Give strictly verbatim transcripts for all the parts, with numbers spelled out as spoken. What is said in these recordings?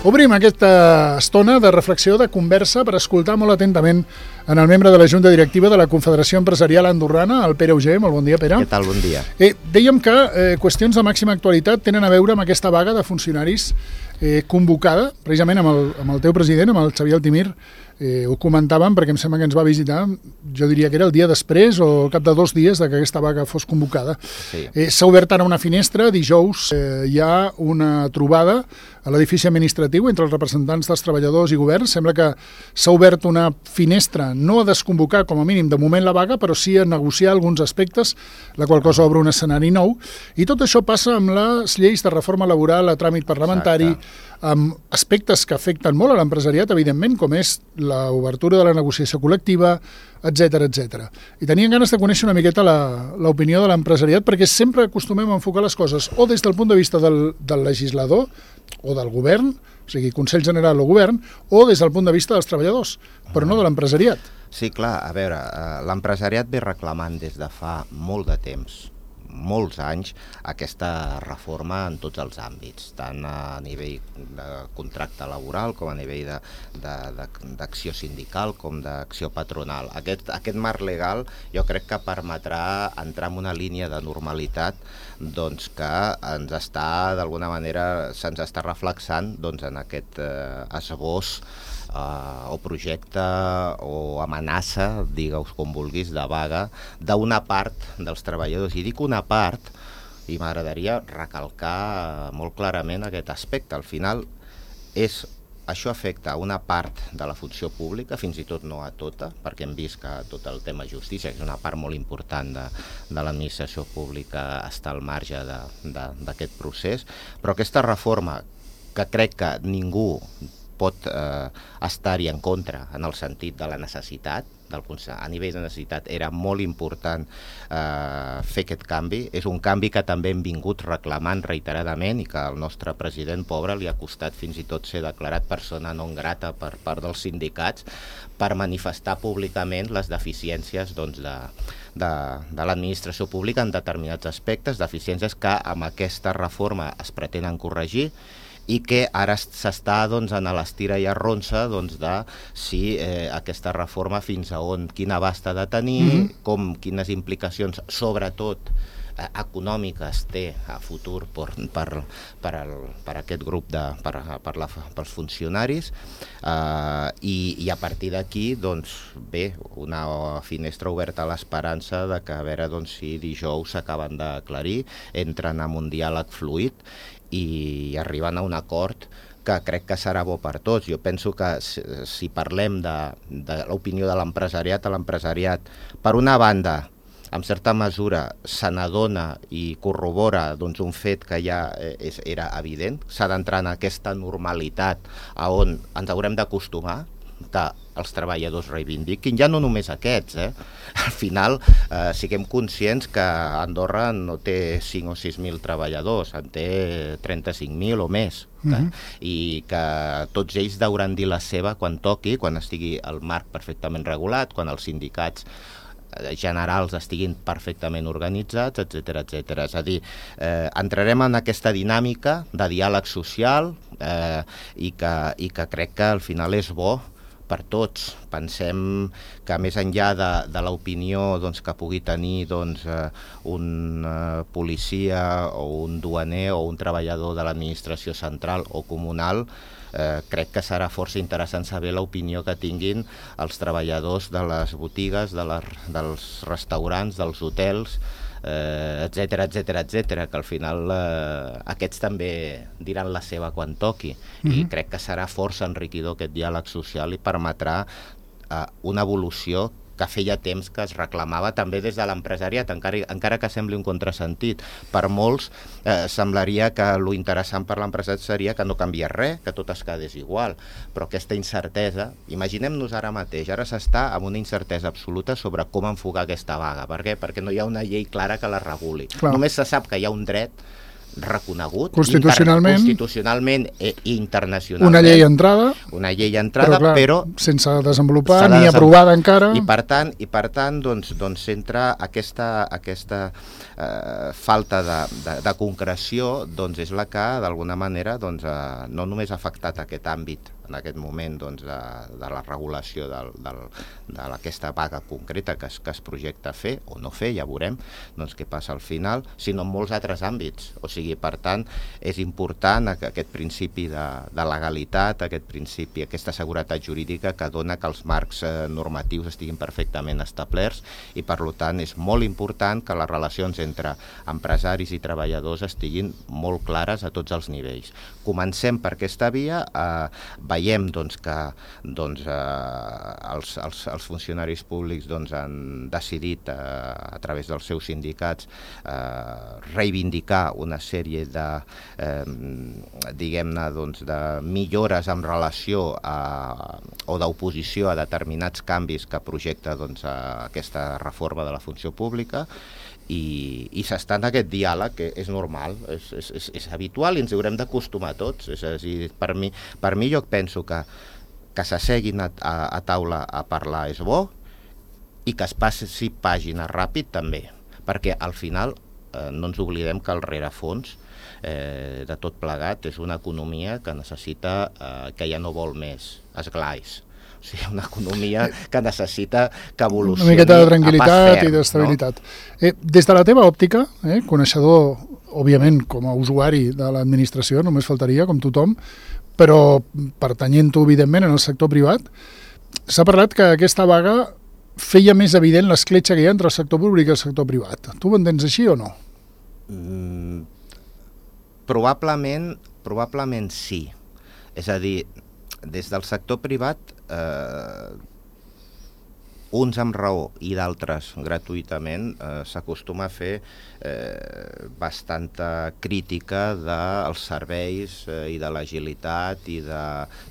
Obrim aquesta estona de reflexió, de conversa, per escoltar molt atentament en el membre de la Junta Directiva de la Confederació Empresarial Andorrana, el Pere Auger. Molt bon dia, Pere. Què tal? Bon dia. Eh, dèiem que eh, qüestions de màxima actualitat tenen a veure amb aquesta vaga de funcionaris eh, convocada, precisament amb el, amb el teu president, amb el Xavier Altimir. Eh, ho comentàvem perquè em sembla que ens va visitar, jo diria que era el dia després o al cap de dos dies de que aquesta vaga fos convocada. Sí. Eh, S'ha obert ara una finestra, dijous eh, hi ha una trobada a l'edifici administratiu entre els representants dels treballadors i governs. Sembla que s'ha obert una finestra, no a desconvocar com a mínim de moment la vaga, però sí a negociar alguns aspectes, la qual cosa obre un escenari nou. I tot això passa amb les lleis de reforma laboral a tràmit parlamentari, exacte, amb aspectes que afecten molt a l'empresariat, evidentment, com és l'obertura de la negociació col·lectiva, etcètera, etcètera. I tenien ganes de conèixer una miqueta l'opinió de l'empresariat, perquè sempre acostumem a enfocar les coses o des del punt de vista del, del legislador o del govern, o sigui, Consell General o govern, o des del punt de vista dels treballadors, però no de l'empresariat. Sí, clar, a veure, l'empresariat ve reclamant des de fa molt de temps, molts anys, aquesta reforma en tots els àmbits, tant a nivell de contracte laboral com a nivell d'acció sindical com d'acció patronal. Aquest, aquest marc legal jo crec que permetrà entrar en una línia de normalitat doncs, que ens està, d'alguna manera, se'ns està reflexant doncs, en aquest eh, esbós Uh, o projecte o amenaça, digueu-vos com vulguis, de vaga d'una part dels treballadors. I dic una part, i m'agradaria recalcar molt clarament aquest aspecte. Al final, és, això afecta a una part de la funció pública, fins i tot no a tota, perquè hem vist que tot el tema justícia, que és una part molt important de, de l'administració pública, està al marge d'aquest procés, però aquesta reforma, que crec que ningú pot eh, estar-hi en contra en el sentit de la necessitat, del, a nivell de necessitat era molt important eh, fer aquest canvi. És un canvi que també hem vingut reclamant reiteradament i que al nostre president pobre li ha costat fins i tot ser declarat persona non grata per part dels sindicats per manifestar públicament les deficiències doncs, de, de, de l'administració pública en determinats aspectes, deficiències que amb aquesta reforma es pretenen corregir i que ara s'està doncs, en l'estira i arronsa doncs, de si eh, aquesta reforma fins a on, quin abast ha de tenir, mm-hmm. com, quines implicacions, sobretot eh, econòmiques té a futur per, per, per, el, per aquest grup, de, per, per la, pels funcionaris, eh, i, i a partir d'aquí, doncs, bé, una finestra oberta a l'esperança de que a veure doncs, si dijous s'acaben d'aclarir, entren en un diàleg fluid i arribant a un acord que crec que serà bo per tots. Jo penso que si, si parlem de, de l'opinió de l'empresariat, a l'empresariat, per una banda, en certa mesura, se n'adona i corrobora doncs, un fet que ja és, era evident, s'ha d'entrar en aquesta normalitat a on ens haurem d'acostumar, que els treballadors reivindiquin, ja no només aquests, eh? Al final eh, siguem conscients que Andorra no té cinc o sis mil treballadors, en té trenta-cinc mil o més, eh? Mm-hmm. I que tots ells hauran dir la seva quan toqui, quan estigui el marc perfectament regulat, quan els sindicats generals estiguin perfectament organitzats, etcètera, etcètera. És a dir, eh, entrarem en aquesta dinàmica de diàleg social eh, i, que, i que crec que al final és bo per tots. Pensem que més enllà de, de l'opinió doncs, que pugui tenir doncs, eh, un eh, policia o un duaner o un treballador de l'administració central o comunal, eh, crec que serà força interessant saber l'opinió que tinguin els treballadors de les botigues, de les, dels restaurants, dels hotels, eh, etcètera, etcètera, etcètera, que al final eh, aquests també diran la seva quan toqui. Mm-hmm. I crec que serà força enriquidor aquest diàleg social i permetrà eh, una evolució que feia temps que es reclamava també des de l'empresariat, encara, encara que sembli un contrasentit. Per molts eh, semblaria que lo interessant per l'empresariat seria que no canviés res, que tot es quedés igual, però aquesta incertesa, imaginem-nos ara mateix, ara s'està amb una incertesa absoluta sobre com enfocar aquesta vaga. Per què? Perquè no hi ha una llei clara que la reguli. Clar. Només se sap que hi ha un dret reconegut constitucionalment, inter, constitucionalment i internacionalment. Una llei entrada, una llei entrada, però, clar, però sense desenvolupar de ni desem... aprovada encara. I per tant, i per tant doncs, doncs entra aquesta, aquesta eh, falta de, de, de concreció, doncs és la que d'alguna manera doncs, eh, no només ha afectat aquest àmbit en aquest moment doncs, de, de la regulació del, del, d'aquesta vaga concreta que es, que es projecta fer o no fer, ja veurem doncs, què passa al final, sinó en molts altres àmbits. O sigui, per tant, és important aquest principi de, de legalitat, aquest principi, aquesta seguretat jurídica que dona que els marcs eh, normatius estiguin perfectament establerts i, per tant, és molt important que les relacions entre empresaris i treballadors estiguin molt clares a tots els nivells. Comencem per aquesta via, eh, veiem doncs, que doncs, eh, els, els, els funcionaris públics doncs, han decidit, eh, a través dels seus sindicats, eh, reivindicar una sèrie de, eh, diguem-ne, doncs, de millores en relació a, o d'oposició a determinats canvis que projecta doncs, aquesta reforma de la funció pública, i, i s'està en aquest diàleg, que és normal, és, és, és habitual i ens haurem d'acostumar tots. És a dir, per mi, per mi jo penso que, que s'asseguin a, a, a taula a parlar és bo i que es passi pàgina ràpid també, perquè al final eh, no ens oblidem que el rerefons eh, de tot plegat és una economia que necessita, eh, que ja no vol més esglais. O sigui, una economia que necessita que evolucioni una miqueta de tranquil·litat ferm, i d'estabilitat. No? Eh, des de la teva òptica, eh, coneixedor, òbviament, com a usuari de l'administració, només faltaria, com tothom, però pertanyent-ho, evidentment, en el sector privat, s'ha parlat que aquesta vaga feia més evident l'escletxa que hi ha entre el sector públic i el sector privat. Tu ho entens així o no? Mm, probablement, probablement sí. És a dir, des del sector privat, eh, uns amb raó i d'altres gratuïtament, eh, s'acostuma a fer eh, bastanta crítica dels serveis eh, i de l'agilitat i de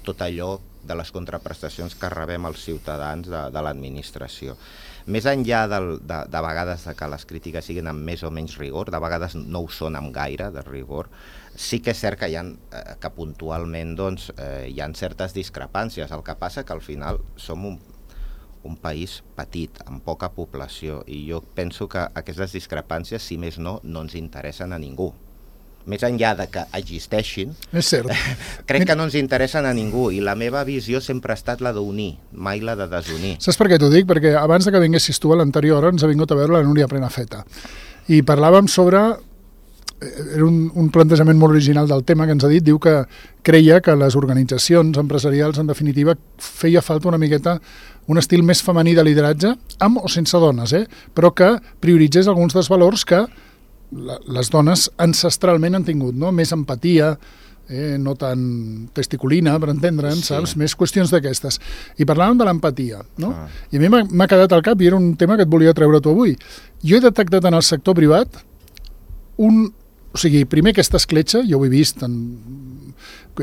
tot allò de les contraprestacions que rebem els ciutadans de, de l'administració. Més enllà del, de, de vegades de que les crítiques siguin amb més o menys rigor, de vegades no ho són amb gaire de rigor, sí que és cert que, hi ha, eh, que puntualment doncs, eh, hi ha certes discrepàncies. El que passa que al final som un, un país petit, amb poca població, i jo penso que aquestes discrepàncies, si més no, no ens interessen a ningú. Més enllà de que existeixin, és cert. crec que no ens interessen a ningú, i la meva visió sempre ha estat la d'unir, mai la de desunir. Saps per què t'ho dic? Perquè abans de que vinguessis tu a l'anterior hora ens ha vingut a veure la Núria Prenafeta. I parlàvem sobre... Era un, un plantejament molt original del tema que ens ha dit. Diu que creia que les organitzacions empresarials, en definitiva, feia falta una miqueta un estil més femení de lideratge, amb o sense dones, eh? Però que prioritzés alguns dels valors que les dones ancestralment han tingut, no? Més empatia, eh, no tan testiculina, per entendre'ns, sí. Saps? Més qüestions d'aquestes. I parlàvem de l'empatia, no? Ah. I a mi m'ha quedat al cap, i era un tema que et volia treure tu avui. Jo he detectat en el sector privat un... O sigui, primer aquesta escletxa, jo ho he vist en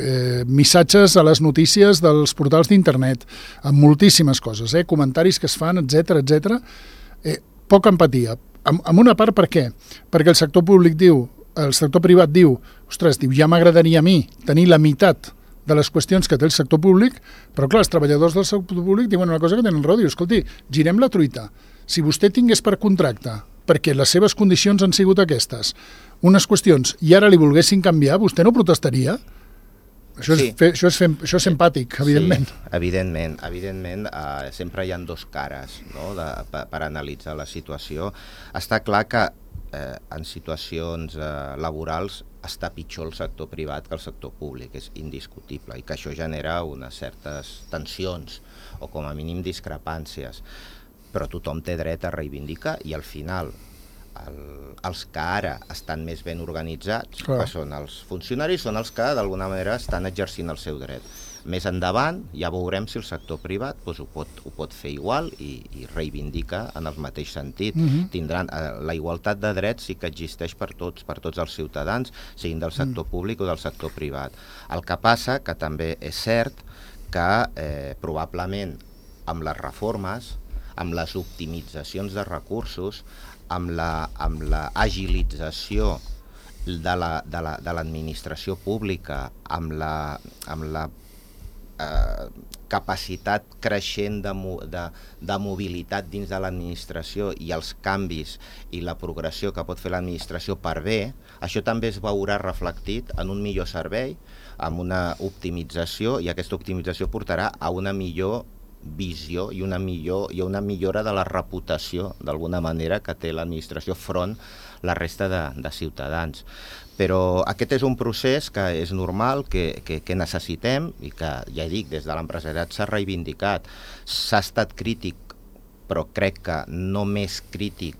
eh, missatges a les notícies dels portals d'internet, amb moltíssimes coses, eh, comentaris que es fan, etcètera, etcètera. Eh, poca empatia. En, en una part, per què? Perquè el sector públic diu, el sector privat diu, ostres, diu, ja m'agradaria a mi tenir la meitat de les qüestions que té el sector públic, però clar, els treballadors del sector públic diuen una cosa que tenen raó, diu, escolti, girem la truita. Si vostè tingués per contracte, perquè les seves condicions han sigut aquestes, unes qüestions, i ara li volguessin canviar, vostè no protestaria? Això és, sí. fer, això és, fer, això és empàtic, evidentment. Sí, evidentment. Evidentment, eh, sempre hi ha dos cares, no?, de, per, per analitzar la situació. Està clar que eh, en situacions eh, laborals està pitjor el sector privat que el sector públic, és indiscutible, i que això genera unes certes tensions, o com a mínim discrepàncies. Però tothom té dret a reivindicar, i al final el, els que ara estan més ben organitzats, Clar. que són els funcionaris, són els que d'alguna manera estan exercint el seu dret. Més endavant ja veurem si el sector privat doncs, ho, pot, ho pot fer igual i, i reivindica en el mateix sentit. Uh-huh. Tindran, eh, la igualtat de drets sí que existeix per tots, per tots els ciutadans, siguin del sector uh-huh. públic o del sector privat. El que passa que també és cert que eh, probablement amb les reformes, amb les optimitzacions de recursos, amb la, amb la agilització de la, de la, de l'administració pública amb la, amb la eh, capacitat creixent de, de, de mobilitat dins de l'administració i els canvis i la progressió que pot fer l'administració per bé, això també es veurà reflectit en un millor servei, amb una optimització, i aquesta optimització portarà a una millor visió i una, millor, i una millora de la reputació, d'alguna manera, que té l'administració front la resta de, de ciutadans. Però aquest és un procés que és normal, que, que, que necessitem, i que, ja dic, des de l'empresariat s'ha reivindicat. S'ha estat crític, però crec que no més crític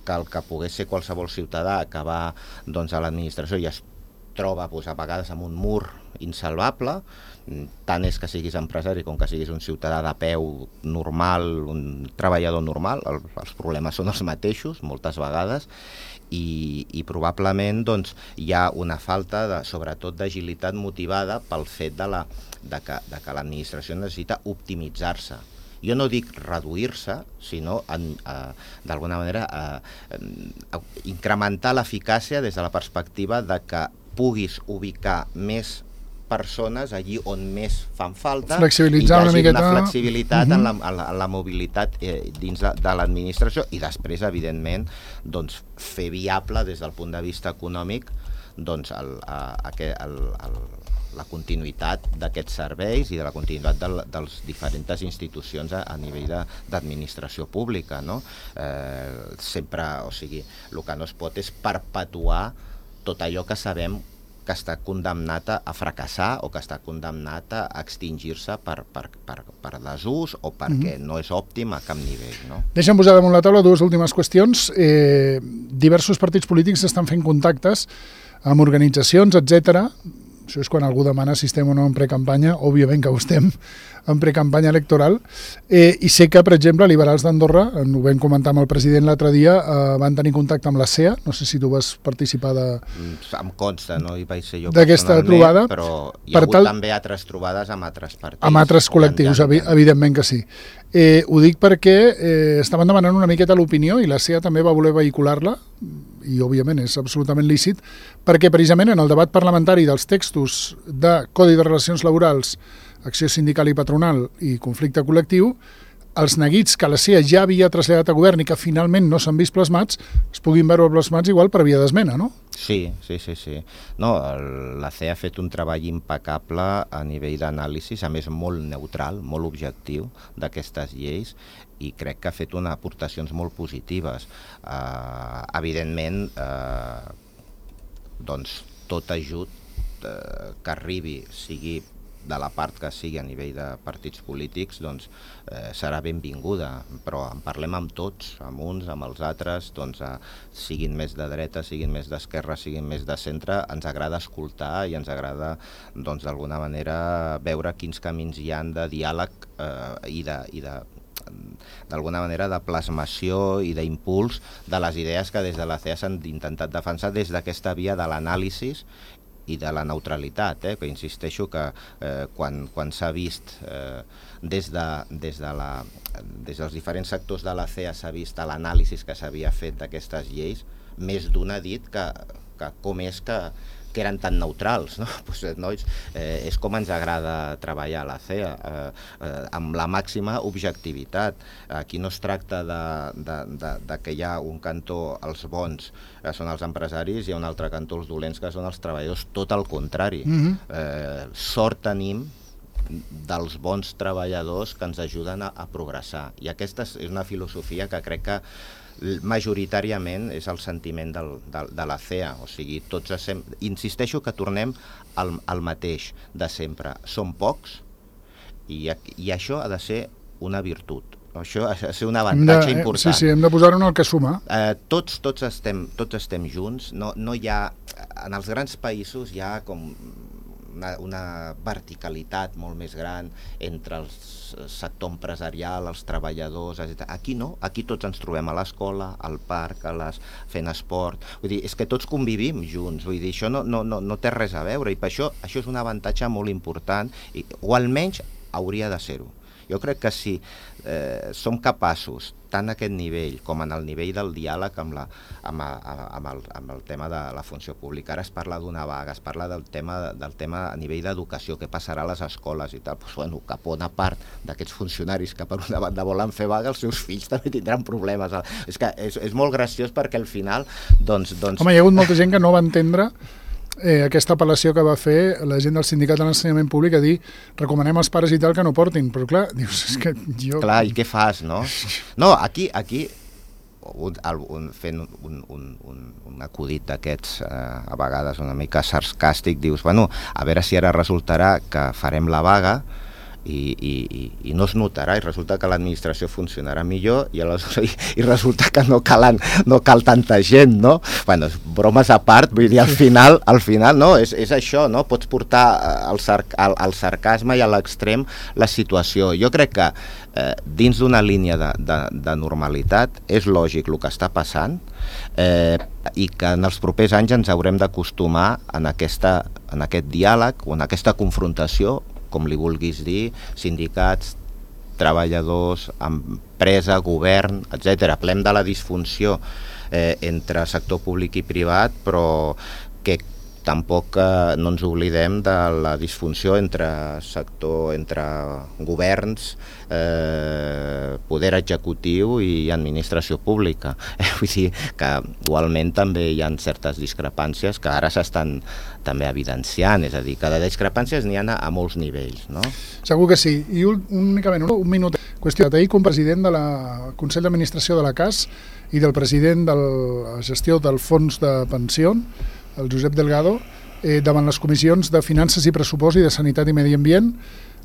que el que pogués ser qualsevol ciutadà que va doncs, a l'administració i es troba doncs, a vegades amb un mur insalvable. Tant és que siguis empresari com que siguis un ciutadà de peu normal, un treballador normal, el, els problemes són els mateixos moltes vegades, i, i probablement doncs, hi ha una falta, de, sobretot d'agilitat motivada pel fet de, la, de que, de que l'administració necessita optimitzar-se. Jo no dic reduir-se, sinó eh, d'alguna manera eh, eh, incrementar l'eficàcia des de la perspectiva de que puguis ubicar més persones allí on més fan falta, flexibilitzar i hi hagi una miqueta una flexibilitat uh-huh. en, la, en, la, en la mobilitat eh, dins de, de l'administració, i després, evidentment, doncs, fer viable des del punt de vista econòmic doncs, el, a, a, el, el, la continuïtat d'aquests serveis i de la continuïtat de, de les diferents institucions a, a nivell d'administració pública, no? Eh, sempre, o sigui, el que no es pot és perpetuar tot allò que sabem que està condemnat a fracassar o que està condemnat a extingir-se per, per, per, per desús o perquè mm-hmm. no és òptim a cap nivell. No? Deixa'm posar damunt la taula dues últimes qüestions. Eh, diversos partits polítics estan fent contactes amb organitzacions, etcètera. Això és quan algú demana si estem o no en precampanya. Òbviament que ho estem en precampanya electoral. Eh, I sé que, per exemple, Liberals d'Andorra, ho vam comentar amb el president l'altre dia, eh, van tenir contacte amb la C E A. No sé si tu vas participar de... Em consta, no hi vaig ser jo d'aquesta trobada. Però hi ha hagut tal... també altres trobades amb altres partits. Amb altres col·lectius, evi evidentment que sí. Eh, ho dic perquè eh, estaven demanant una miqueta l'opinió i la C E A també va voler vehicular-la, i òbviament és absolutament lícit, perquè precisament en el debat parlamentari dels textos de Codi de Relacions Laborals, Acció Sindical i Patronal i Conflicte Col·lectiu, els neguits que la C E A ja havia traslladat a govern i que finalment no s'han vist plasmats, es puguin veure plasmats igual per via d'esmena, no? Sí, sí, sí, sí. No, el, la C E A ha fet un treball impecable a nivell d'anàlisi, a més molt neutral, molt objectiu d'aquestes lleis, i crec que ha fet unes aportacions molt positives. Uh, evidentment, uh, doncs, tot ajut uh, que arribi, sigui de la part que sigui a nivell de partits polítics, doncs eh, serà benvinguda, però en parlem amb tots, amb uns, amb els altres, doncs eh, siguin més de dreta, siguin més d'esquerra, siguin més de centre, ens agrada escoltar i ens agrada, doncs, d'alguna manera veure quins camins hi han de diàleg eh, i de, i de d'alguna manera de plasmació i d'impuls de les idees que des de la C E A s'han intentat defensar des d'aquesta via de l'anàlisi i de la neutralitat, eh? que insisteixo que eh, quan, quan s'ha vist eh, des, de, des, de la, des dels diferents sectors de la C E A s'ha vist l'anàlisi que s'havia fet d'aquestes lleis, més d'un ha dit que, que com és que, que eren tan neutrals, no? Pues, nois, eh, és com ens agrada treballar a la C E A, eh, eh, amb la màxima objectivitat. Aquí no es tracta de, de, de, de que hi ha un cantó, els bons, que són els empresaris, i hi ha un altre cantó, els dolents, que són els treballadors, tot el contrari. Mm-hmm. eh, sort tenim dels bons treballadors que ens ajuden a, a progressar. I aquesta és una filosofia que crec que majoritàriament és el sentiment del, de, de la C E A, o sigui, tots sem... insisteixo que tornem al, al mateix de sempre. Som pocs i, i això ha de ser una virtut. Això ha de ser un avantatge de, important. Sí, sí, hem de posar-ho en el que suma. Eh, tots, tots, estem, tots estem junts. No, no hi ha... En els grans països hi ha com una, una verticalitat molt més gran entre el sector empresarial, els treballadors, etcètera. Aquí no, aquí tots ens trobem a l'escola, al parc, a les, fent esport. Vull dir, és que tots convivim junts, vull dir, això no, no, no, no té res a veure, i per això això és un avantatge molt important, i, o almenys hauria de ser-ho. Jo crec que si eh, som capaços, tant a aquest nivell com en el nivell del diàleg amb, la, amb, a, amb, el, amb el tema de la funció pública. Ara es parla d'una vaga, es parla del tema, del tema a nivell d'educació, què passarà a les escoles i tal. Pues, bueno, que bona part d'aquests funcionaris que per una banda volen fer vaga, els seus fills també tindran problemes. És que és, és molt graciós perquè al final... Doncs, doncs... Home, hi ha hagut molta gent que no va entendre Eh, aquesta apel·lació que va fer la gent del sindicat de l'ensenyament públic a dir recomanem als pares i tal que no portin, però clar, dius, és que jo... Clar, i què fas, no? No, aquí, aquí un, un, fent un, un, un, un acudit d'aquests eh, a vegades una mica sarcàstic, dius, bueno, a veure si ara resultarà que farem la vaga i, i, i no es notarà i resulta que l'administració funcionarà millor i, i, i resulta que no, calen, no cal tanta gent, no? Bueno, bromes a part, vull dir, al final, al final no, és, és això, no? Pots portar al, sarc, al, al sarcasme i a l'extrem la situació. Jo crec que eh, dins d'una línia de, de, de normalitat és lògic el que està passant eh, i que en els propers anys ens haurem d'acostumar en, aquesta, en aquest diàleg o en aquesta confrontació, com li vulguis dir, sindicats, treballadors, empresa, govern, etcètera. Parlem de la disfunció eh, entre sector públic i privat, però que tampoc eh, no ens oblidem de la disfunció entre sector, entre governs, eh, poder executiu i administració pública. Eh, vull dir que igualment també hi ha certes discrepàncies que ara s'estan també evidenciant, és a dir, que de discrepàncies n'hi ha a molts nivells, no? Segur que sí. I un, únicament un, un minut. Qüestió, ahir com president de la Consell d'Administració de la C A S i del president de la gestió del Fons de Pensió, el Josep Delgado, eh, davant les comissions de Finances i Pressupost i de Sanitat i Medi Ambient,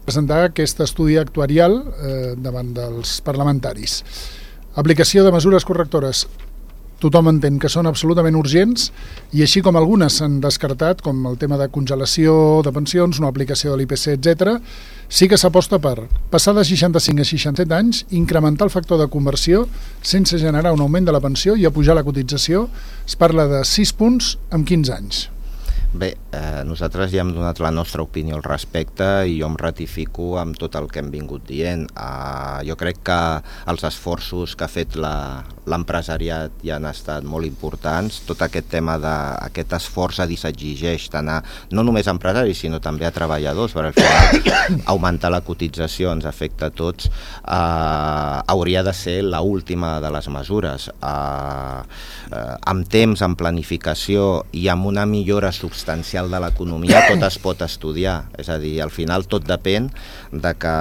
presentar aquest estudi actuarial eh, davant dels parlamentaris. Aplicació de mesures correctores. Tothom entén que són absolutament urgents i així com algunes s'han descartat, com el tema de congelació de pensions, no aplicació de l'I P C, etcètera, sí que s'aposta per passar de seixanta-cinc a seixanta-set anys, incrementar el factor de conversió sense generar un augment de la pensió i apujar la cotització. Es parla de sis punts en quinze anys. Bé, eh, nosaltres ja hem donat la nostra opinió al respecte i jo em ratifico amb tot el que hem vingut dient. Eh, jo crec que els esforços que ha fet l'empresariat ja han estat molt importants. Tot aquest tema d'aquest esforç a dir s'exigeix tant a, no només a empresaris, sinó també a treballadors, perquè al final augmentar la cotització ens afecta a tots. Eh, hauria de ser l'última de les mesures. Eh, eh, amb temps, amb planificació i amb una millora substancial substancial de l'economia, tot es pot estudiar. És a dir, al final tot depèn de que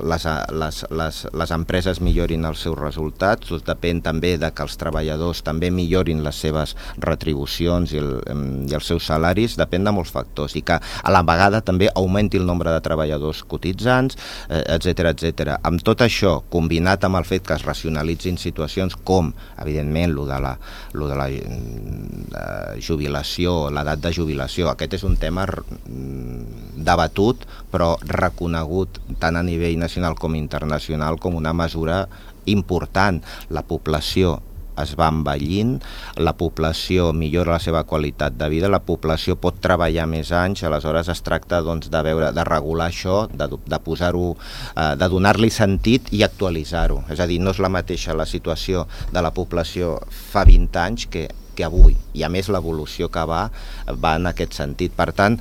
les, les, les, les empreses millorin els seus resultats, tot depèn també de que els treballadors també millorin les seves retribucions i, el, i els seus salaris, depèn de molts factors, i que a la vegada també augmenti el nombre de treballadors cotitzants, etcètera, etcètera. Amb tot això, combinat amb el fet que es racionalitzin situacions com, evidentment, lo de la, lo de la, la jubilació, l'edat de jubilació, aquest és un tema debatut però reconegut tant a nivell nacional com internacional com una mesura important. La població es va envellint, la població millora la seva qualitat de vida, la població pot treballar més anys, aleshores es tracta doncs, de, veure, de regular això, de, de posar-ho, eh, de donar-li sentit i actualitzar-ho. És a dir, no és la mateixa la situació de la població fa vint anys que que avui, i a més l'evolució que va va en aquest sentit. Per tant,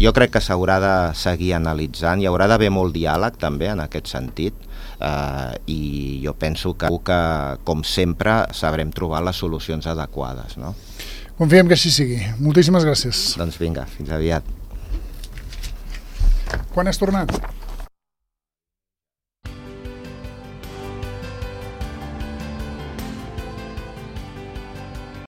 jo crec que s'haurà de seguir analitzant, hi haurà d'haver molt diàleg també en aquest sentit, eh, i jo penso que, que com sempre sabrem trobar les solucions adequades, no? Confiem que així sigui. Moltíssimes gràcies. Doncs vinga, fins aviat. Quan has tornat?